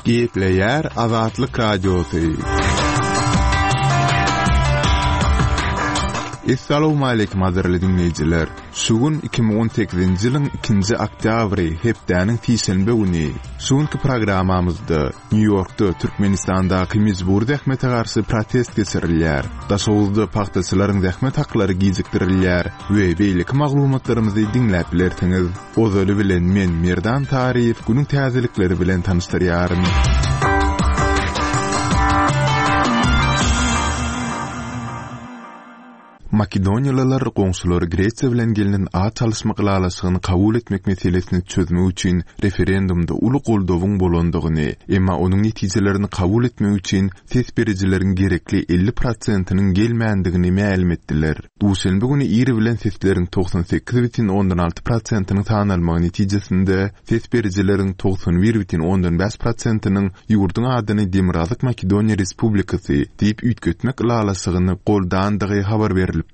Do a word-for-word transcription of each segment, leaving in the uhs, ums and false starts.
Gepleýär Azatlyk Radiosy. Essalawmaleýkim gadyrly diňleýjiler. Şu gün iki müň on sekizinji ýylyň ikinji oktýabry, hepdäniň sişenbe güni. Şu günki programmamyzda Nýu-Ýorkda Türkmenistandaky mejbury zähmete garşy protest geçirilýär. Daşoguzda pagtaçylaryň zähmet haklary gijikdirilýär we beýleki maglumatlarymyzy diňläp bilersiňiz. Ozaly bilen men Merdan Taryýew günüň täzelikleri bilen tanyşdyrýaryn. Makedoniýalylar goňşulary Gresiýa bilen gelnen at çalyşmak ylalaşygyny kabul etmek meselesini çözmek üçin referendumda uly goldawyň bolandygyny, emma onuň netijelerini kabul etmek üçin ses berijileriň gerekli elli prosentiniň gelmändigini mälim etdiler. Duşenbe güni ir bilen sesleriň togsan sekiz bütin ondan alty prosentiniň sanalmagy netijesinde ses berijileriň togsan bir bütin ondan bäş prosentiniň ýurduň adyny Demirgazyk Makedoniýa Respublikasy diýip üýtgetmek ylalaşygyny goldandygy habar berilipdi.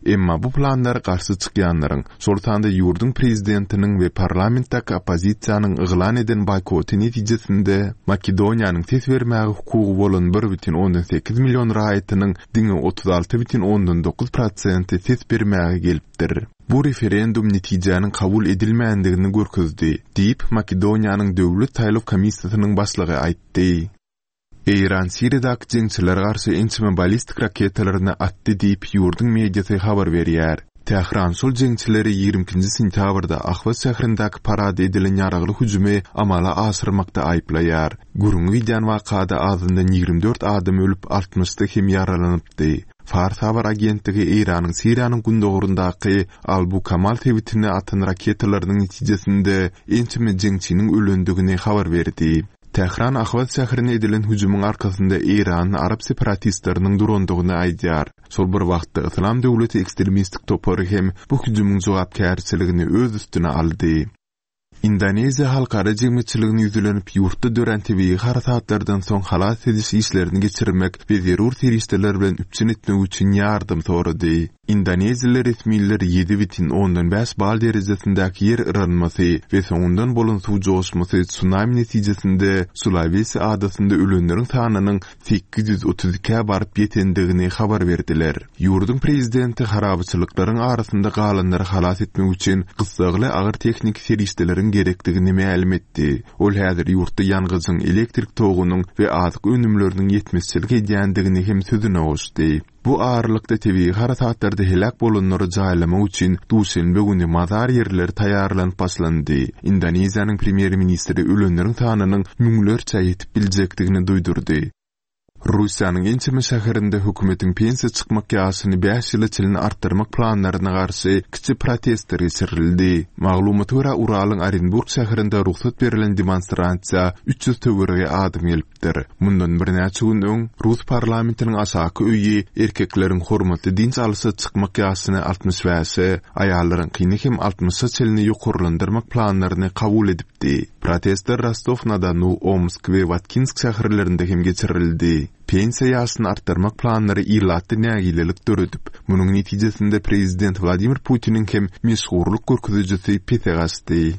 Emma bu planlara garşy çykýanlaryň, şol sanda ýurduň prezidentiniň we parlamentdäki oppozisiýanyň yglan eden boýkoty netijesinde Makedoniýanyň ses bermäge hukugy bolan bir bütin ondan sekiz million raýatynyň diňe otuz alty bütin ondan dokuz prosenti ses bermäge gelipdir. Bu referendum netijäniň kabul edilmändigini görkezdi, diýip, Makedoniýanyň Döwlet saýlaw komissiýasynyň başlygy aýtdy. Eýran Siriýadaky jeňçilere garşy ençeme ballistik raketalaryny atdy diýip, ýurduň mediasy habar berýär. Tähran şol jeňçileri ýigrimi ikinji sentýabrda Ahwaz şäherindäki parada edilen ýaragly hüjümi amala aşyrmakda aýyplaýar. Gürrüňi gidýän wakada azyndan ýigrimi dört adam ölüp, altmyşda hem ýaralanypdy. Fars habar agentligi Eýranyň Siriýanyň gündogaryndaky Albu-Kamal sebitine atan raketalarynyň netijesinde ençeme jeňçiniň ölendigini habar berdi. Tähran Ahwaz şäherine edilen hüjümiň arkasynda Eýranyň arap separatistleriniň durandygyny aýdýar. Şol bir wagtda Yslam döwleti ekstremistik topary hem bu hüjümiň jogapkärçiligini öz üstüne aldy. Indoneziýa halkara jemgyýetçiligine ýüzlenip, ýurtda dörän tebigy harasatlardan soň halas ediş işlerini geçirmek we zerur serişdeler bilen üpjün etmek üçin ýardam sorady. Indoneziýaly resmiler ýedi bütin ondan bäş bal derejesindäki ýer yranmasy we soňundan bolan suw joşmasy tsunami netijesinde Sulawesi adasynda ölenleriň sanynyň sekiz ýüz otuz ikä baryp ýetendigini habar berdiler. Ýurduň prezidenti harabaçylyklaryň arasynda galanlary halas etmek üçin gyssagly agyr tehniki serişdeleriň gerekdigini mälim etdi. Ol häzir ýurtda ýangyjyň, elektrik togunyň we azyk önümleriniň ýetmezçilik edýändigini hem sözüne goşdy. Bu aralykda tebigy harasatlarda heläk bolanlary jaýlamak üçin duşenbe güni mazar ýerleri taýýarlanyp başlandy. Indoneziýanyň premýer-ministri ölenleriň sanynyň müňlerçe ýetip biljekdigini duýdurdy. Russiýanyň ençeme şäherinde hökümetiň pensiýa çykmak ýaşyny bäş ýyla çenli artdyrmak planlaryna garşy kiçi protestler geçirildi. Maglumata görä, Uralyň Orenburg şäherinde rugsat berlen demonstrasiýa üç ýüz töweregi adam gelipdir. Mundan birnäçe gün öň Rus parlamentiniň aşaky öýi erkekleriň hormatly dynç alyşa çykmak ýaşyny altmyş bäşe, aýallaryňkyny hem altmyşa çenli ýokarlandyrmak planlaryny kabul edipdi. Protestler Rostow-na-Donu, Omsk we Watkinsk şäherlerinde hem geçirildi. Pensiýa ýaşyny artdyrmak planlary ilatda nägilelik döredip, munuň netijesinde prezident Wladimir Putiniň hem meşhurlyk görkezijisi pese gaçdy.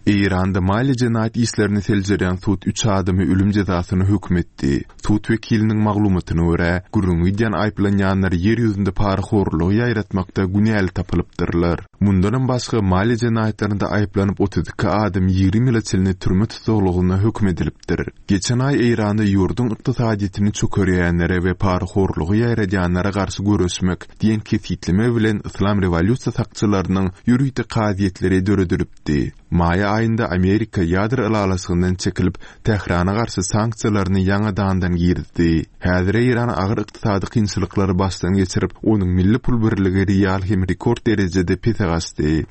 Eýranda maliýe jenaýat işlerini seljerýän sud üç adamy ölüm jezasyna höküm etdi. Sud wekiliniň maglumatyna görä, gürrüňi gidýän aýyplanýanlar ýer ýüzünde parahorlugy ýaýratmakda günäli tapylypdyrlar. Mundanam başga maliýe jenaýatlarynda aýyplanyp otuz iki adam ýigrimi ýyla çenli türme tussaglygyna höküm edilipdir. Geçen aý Eýranda ýurduň ykdysadyýetini çökerýänlere we parahorlugy ýaýradýanlara garşy göreşmek diýen kesgitleme bilen Yslam rewolýusiýa sakçylarynyň ýörite kazyýetleri döredilipdi. Maý aýynda Amerika ýadro ylalaşygyndan çekilip, Tährana garşy sanksiýalaryny ýaňadandan girizdi. Häzir Eýran agyr ykdysady kynçylyklary başdan geçirip, onuň milli pul birligi rial hem rekord derejede pese gaçdy.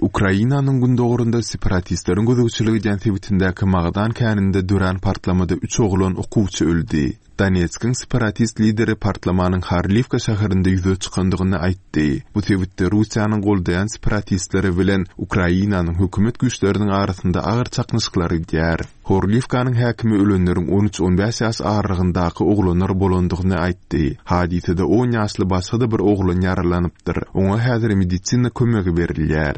Ukrainanyň gündogarynda separatistleriň gözegçilik edýän sebitindäki magdan käninde dörän partlamada üç oglan okuwçy öldi. Donetskiň separatist lideri partlamanyň Horliwka şäherinde ýüze çykandygyny aýtdy. Bu sebitde Russiýanyň goldaýan separatistleri bilen Ukrainanyň hökümet güýçleriniň arasynda agyr çaknyşyklar gidýär. Horliwkanyň häkimi ölenleriň on üç-on bäş ýaş aralygyndaky oglanlar bolandygyny aýtdy. Hadysada on ýaşly başga-da bir oglan ýaralanypdyr. Oňa häzir medisina kömegi berilýär.